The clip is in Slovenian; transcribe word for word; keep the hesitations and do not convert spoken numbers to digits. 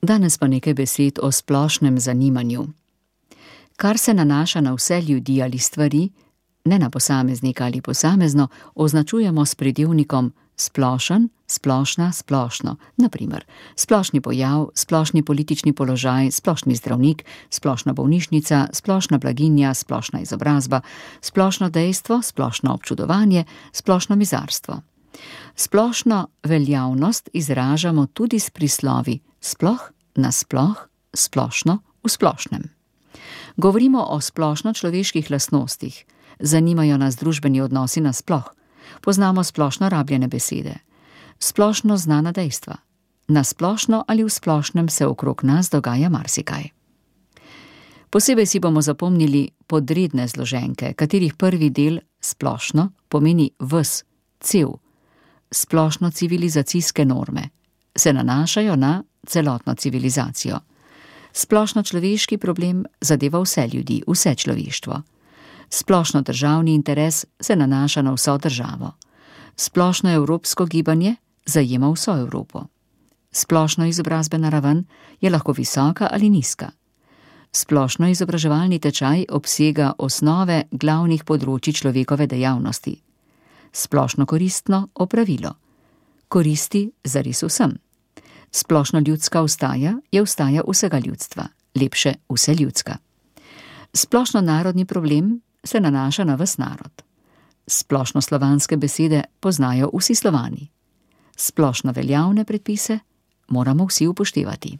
Danes pa nekaj besed o splošnem zanimanju. Kar se nanaša na vse ljudi ali stvari, ne na posameznika ali posamezno, označujemo s pridevnikom splošen, splošna, splošno. Na primer, splošni pojav, splošni politični položaj, splošni zdravnik, splošna bolnišnica, splošna blaginja, splošna izobrazba, splošno dejstvo, splošno občudovanje, splošno mizarstvo. Splošno veljavnost izražamo tudi s prislovi sploh, nasploh, splošno, v splošnem. Govorimo o splošno človeških lastnostih, zanimajo nas družbeni odnosi nasploh, poznamo splošno rabljene besede, splošno znana dejstva, nasplošno ali v splošnem se okrog nas dogaja marsikaj. Posebej si bomo zapomnili podredne zloženke, katerih prvi del, splošno, pomeni ves, cel. Splošno civilizacijske norme se nanašajo na celotno civilizacijo. Splošno človeški problem zadeva vse ljudi, vse človeštvo. Splošno državni interes se nanaša na vso državo. Splošno evropsko gibanje zajema vso Evropo. Splošno izobrazbena raven je lahko visoka ali nizka. Splošno izobraževalni tečaj obsega osnove glavnih področij človekove dejavnosti. Splošno koristno opravilo. Koristi zares vsem. Splošno ljudska vstaja je vstaja vsega ljudstva, lepše vse ljudska. Splošno narodni problem se nanaša na ves narod. Splošno slovanske besede poznajo vsi Slovani. Splošno veljavne predpise moramo vsi upoštevati.